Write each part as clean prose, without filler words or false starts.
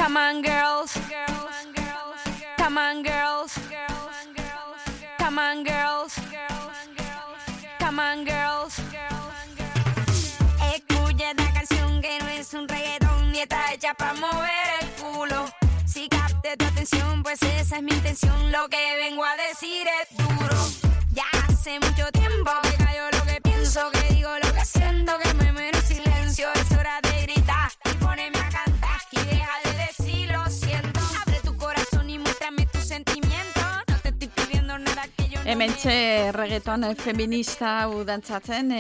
Come on, girls. Come on, girls. Come on, girls. Come on, girls. Escucha esta canción que no es un reggaetón ni está hecha para mover el culo. Si capte tu atención, pues esa es mi intención. Lo que vengo a decir es duro. Ya hace mucho tiempo que callo lo que pienso, que digo lo que siento, que me muero en silencio. Es hora de gritar y ponerme a cantar y deja de decir lo siento. Abre tu corazón y muéstrame tus sentimientos. No te estoy pidiendo nada que yo no. Hementxe reggaeton feminista hau dantzatzen,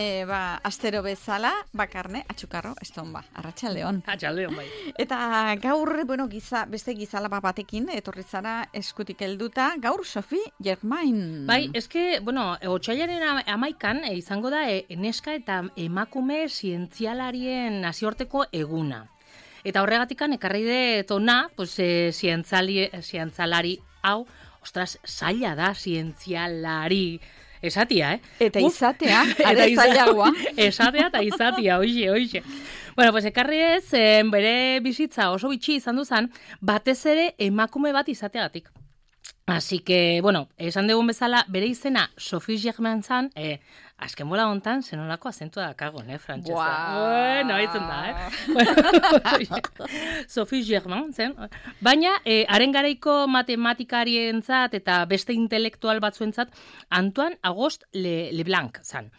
astero bezala, bakarne, atxukarro, eston arratsaldeon. Atxaldeon, bai. Eta gaur, beste gizalaba batekin, etorri zara eskutik helduta, gaur Sophie Germain. Bai, eske, otsailaren 11an izango da neska eta emakume zientzialarien nazioarteko eguna. Eta horregatikan ekarri dut hona, zientzialari hau, ostras, zaila da zientzialari. Esatia, Eta izatea, are zailagoa. Esatea eta izatia, oixe. Bueno, ekarri ez, bere bizitza oso bitxi izan duzan, batez ere emakume bat izateagatik. Así que, esan dugun bezala, bere izena Sophie Germain zan, azken bola hontan, zenolako azentua dakagon, frantzesa. Bueno, haitzen da, Sophie Germain zen. Baina, haren garaiko matematikaarientzat eta beste intelektual batzuentzat, Antoine Auguste Leblanc zan.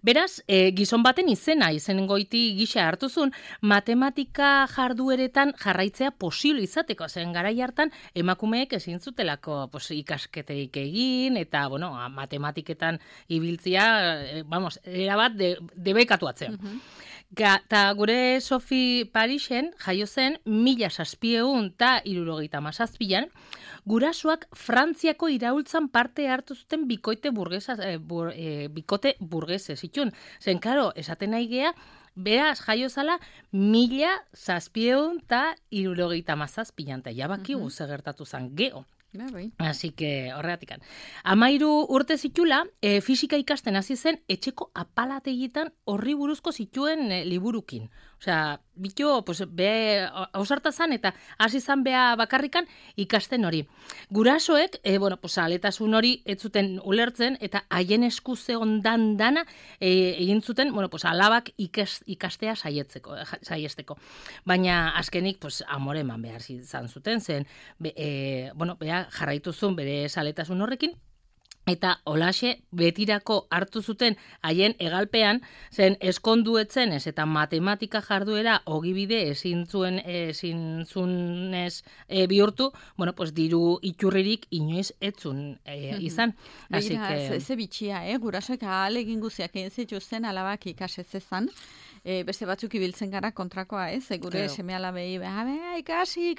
Beraz, gizon baten izenengoiti gisa hartuzun, matematika jardueretan jarraitzea posible izateko, zen garai hartan emakumeek ezin zutelako ikasketerik egin, eta, matematiketan ibiltzia, erabat debekatu atzen. Eta gure Sophie Parisen jaio zen 1777an, gurasoak Frantziako iraultzan parte hartu zuten bikote burgese zituen. Zen, karo, esaten nahi gea, beraz jaio zala 1777an, eta jabaki guze gertatu zen geho. Así que, horregatikan. 13 urte zitula, fisika ikasten hasi zen etxeko apalategitan horri buruzko zituen liburukin. Osea, bitxo, hausarta zan eta hasi zan bea bakarrikan ikasten hori. Gurasoek, aletasun hori ez zuten ulertzen eta haien esku zegondan dana egin zuten, alabak ikastea saiesteko. Baina azkenik, amore eman behar izan zuten, zen, bea jarraitu zuen bere saletasun horrekin, eta holaxe betirako hartu zuten haien egalpean, zen eskonduetzen ez eta matematika jarduera ogibide ezin zunez bihurtu, diru iturririk inoiz etzun izan. Begira, ze bitxia, gurasoek ahalegin guziak egin zituzten alabak ikasetzezan, beste batzuk ibiltzen gara kontrakoa, gure seme-alabei, ikasi,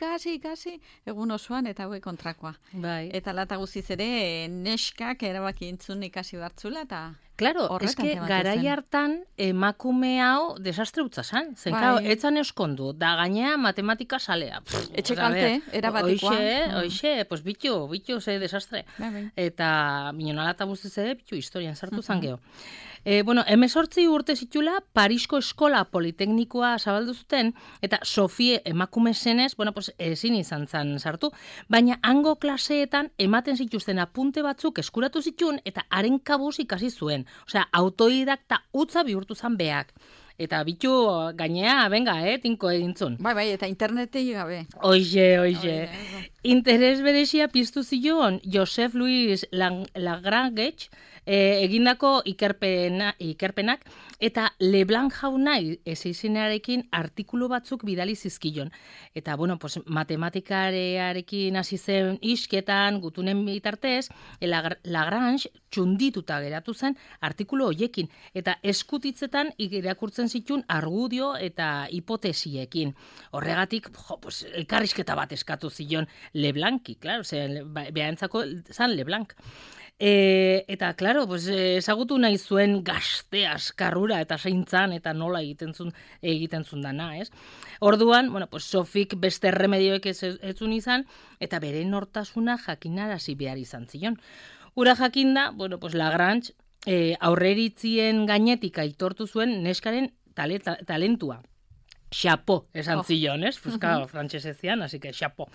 egun osoan eta hauek kontrakoa. Bai. Eta lata guziz ere, neskak erabaki entzun ikasi bartzula, eta claro, eske garai hartan emakume hau desastre utza zan. Zen, etzan euskondu, da gainea matematika salea. Etxekalte, erabatikoa. Hoxe, bitu, ze desastre. Eta minonala eta guztiz ere, bitu historian sartu zan geho. 18 urte zitula, Parisko eskola politeknikoa zabaldu zuten, eta Sofie emakume zenez, ezin izan zan sartu, baina hango klaseetan ematen zituzten apunte batzuk eskuratu zituen, eta haren kabuz ikasi zuen. Osea, autodidakta utza bihurtu zan beak. Eta bitu gainea, tinko egintzun. Bai, eta internetei gabe. Oixe. Interes berezia piztu zion Joseph Louis Lagrange egindako ikerpenak, eta Leblanc jauna izenarekin artikulu batzuk bidali zizkion. Eta, matematikarearekin hasi zen isketan, gutunen bitartez, Lagrange txundituta geratu zen artikulu hoiekin, eta eskutitzetan irakurtzen zituen argudio eta hipotesiekin. Horregatik, elkarrizketa bat eskatu zion Leblanci, klaro, behantzako zan Leblanc. Eta, klaro, ezagutu nahi zuen gazte askarrura eta zeintzan eta nola egiten zun dana, ez? Orduan, Sofik beste remedioek etzun izan, eta bere nortasuna jakinarazi behar izan zion. Ura jakinda, Lagrange aurreritzien gainetik aitortu zuen neskaren talentua. xapo esan zion, ez? Fuska frantsesezian, así que xapo.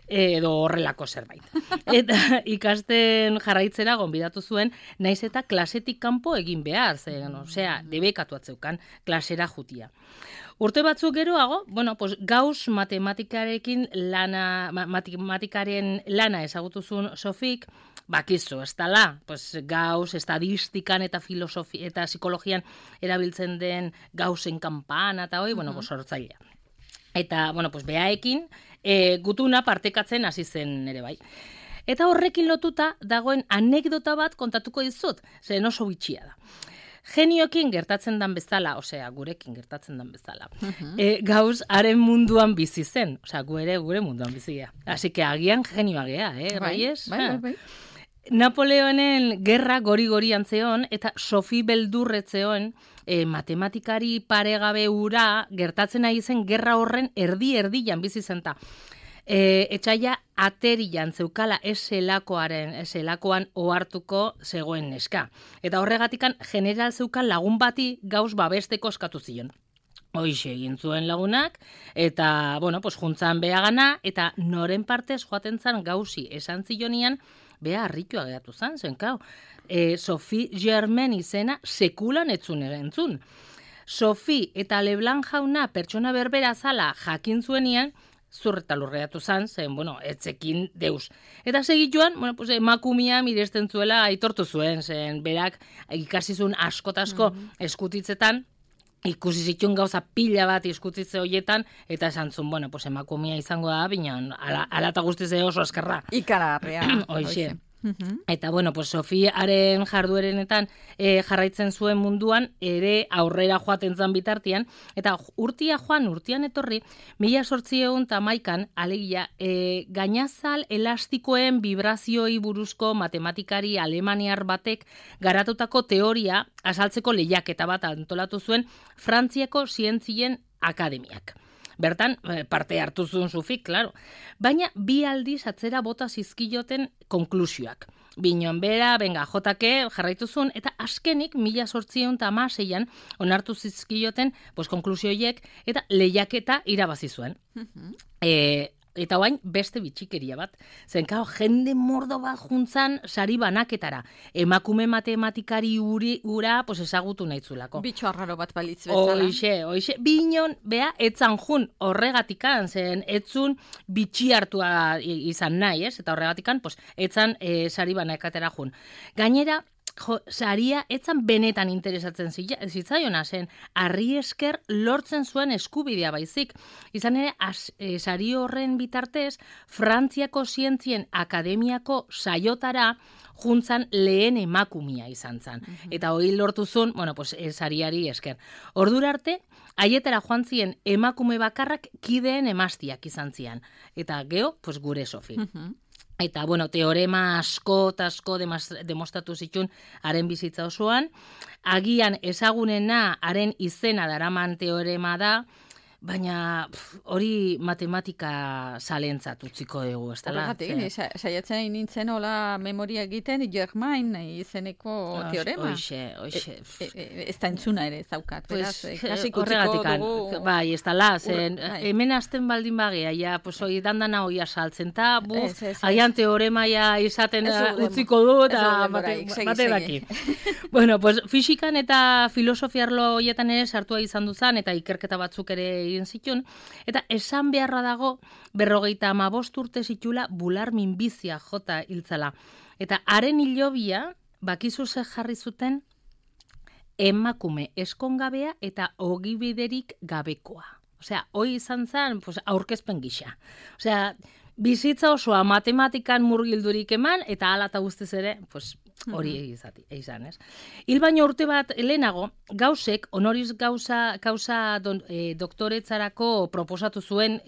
Edo horrelako zerbait. Eta ikasten jarraitzera gonbidatu zuen, naiz eta klasetik kanpo egin behar, osea, debekatu atzeukan klasera jutia. Urte batzuk geroago, bueno, pues Gauss matematikaren lana ezagutuzun Sofik, bakizu, ez dala, pues Gauss estadistikan eta filosofia eta psikologian erabiltzen den Gaussen kanpana eta hoi, bueno, pues sortzailea. Eta, bueno, pues beaekin gutuna partekatzen hasi zen ere bai. Eta horrekin lotuta dagoen anekdota bat kontatuko dizut, zen oso bitxia da. Genioekin gertatzen dan bezala, osea, gurekin gertatzen dan bezala. Gauss haren munduan bizi zen, osea, gure munduan bizia. Así que agian genioa gea, Reyes? Bai. Napoleonen gerra gori antzeon, eta Sofi beldurretzeon matematikari paregabe ura gertatzen ari zen gerra horren erdi-erdian bizi zenta. Etxaia aterian zeukala eselakoan ohartuko zegoen neska. Eta horregatikan general zeukan lagun bati Gauss babesteko eskatu zion. Hoixe egin zuen lagunak, eta, bueno, pues juntzan beagana, eta noren partez joaten zan Gaussi esan zionian, bea harritua geratu zan, zen, kau. Sophie Germain izena sekulan etzun erentzun. Sophie eta Leblanc jauna pertsona berbera zala jakin zuenian, zurreta lurreatu zan, zen, bueno, etzekin deus. Eta segituan, bueno, pues, emakumia miresten zuela aitortu zuen, zen, berak ikasizun askotasko eskutitzetan, ikusi zituen gauza pila bat eskutitze horietan, eta esan zuen, bueno, pues, emakumia izango da, binean, ala eta guztiz oso askarra. Ikararrea. Hoxe. Eta, bueno, pues, Sofiaren jarduerenetan jarraitzen zuen munduan, ere aurrera joaten zan bitartian, eta urtian etorri, 1811 alegia, gainazal elastikoen vibrazioi buruzko matematikari alemaniar batek garatutako teoria azaltzeko lehiaketa bat antolatu zuen Frantziako zientzien akademiak. Bertan, parte hartu zuen Sofik, claro. Baina, bi aldiz atzera bota zizkioten konklusioak. Binon bera, jotake, jarraitu zuen, eta askenik 1816an onartu zizkioten konklusioiek eta lehiaketa irabazi zuen. Eta oain beste bitxikeria bat. Zenkao, jende mordo bat juntzan sari banaketara. Emakume matematikari ura ezagutu nahitzulako. Bitxo arraro bat balitz bezala. Hoixe. Binon, bea, etzan jun horregatikan, zen etzun bitxi hartua izan nahi, ez? Eta horregatikan, etzan sari banaketara jun. Gainera, saria etzan benetan interesatzen zitzaiona, zen harri esker lortzen zuen eskubidea baizik. Izan ere, sari horren bitartez, Frantziako zientzien akademiako saiotara juntzan lehen emakumia izan zen. Eta hori lortu zuen, sariari esker. Ordura arte, haietara joan ziren emakume bakarrak kideen emaztiak izan zian. Eta geho, gure Sofi. Eta, teorema asko demostratu zituen haren bizitza osoan. Agian ezagunena haren izena daraman teorema da, baina hori matematika zalentzat utziko dugu, ez dela? Horregatik, saiatzen nintzen hola memoria egiten Germain izeneko teorema. Hoixe. Ez da entzuna ere zaukat, beraz, kasik utziko dugu. Bai, ez dela, zen, hemen azten baldin bagea, ja, hori dandana hori asaltzen, eta agian teorema izaten utziko du, eta bate daki. Bueno, fisikan eta filosofiarlo horietan ere sartua izan duzan, eta ikerketa batzuk ere zituen, eta esan beharra dago 55 urte zitula bular minbizia jota hiltzala. Eta haren hilobia, bakizu ze jarri zuten, emakume eskongabea eta ogibiderik gabekoa. Osea, hoi izan zen, aurkezpen gisa. Osea, bizitza osoa matematikan murgildurik eman, eta hala eta guztiz ere, hori izan, ez? Hil baino urte bat lehenago, Gaussek honoris causa doktoretzarako proposatu zuen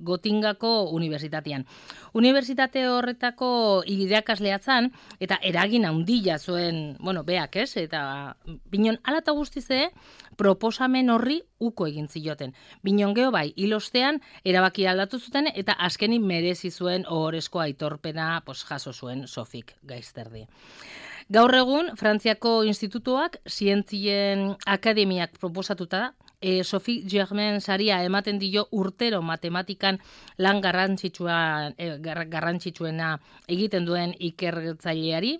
Gotingako unibertsitatean. Unibertsitate horretako irakasleatzan, eta eragin handia zuen, beak, ez? Eta binon, hala eta guztiz ere, proposamen horri uko egin zioten. Binon geho bai, hilostean erabaki aldatu zuten, eta azkenik merezi zuen ohorezko aitorpena jaso zuen Sofik gaizterdi. Gaur egun, Frantziako institutuak zientzien akademiak proposatuta da, Sophie Germain saria ematen dio urtero matematikan lan garrantzitsuena egiten duen ikertzaileari,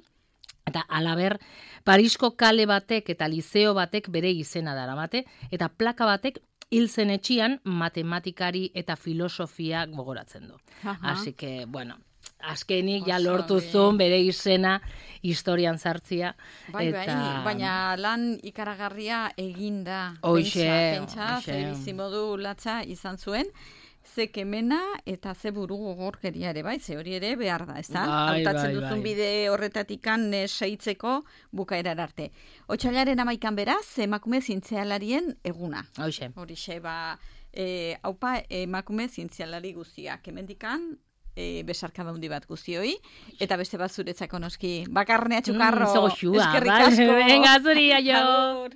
eta alaber, Parisko kale batek eta liceo batek bere izena daramate, eta plaka batek hiltzen etxian matematikari eta filosofia gogoratzen du. Así que, bueno, azkenik ja lortu zuen bere izena historian sartzia. Baina lan ikaragarria eginda. Pentsa, ze bizimodu latza izan zuen, ze kemena eta ze buru gogorkeria ere, bai, ze hori ere behar da, ezta? Hautatzen duzun bide horretatikan seitzeko bukaerar arte. Otsailaren 11 beraz, emakume zientzialarien eguna. Horixe, haupa emakume zientzialari guztiak, hemendikan besarkada handi bat guztioi, eta beste bat zuretzako noski. Bakarnea txukarro, eskerrik asko. Venga, zuri, aio.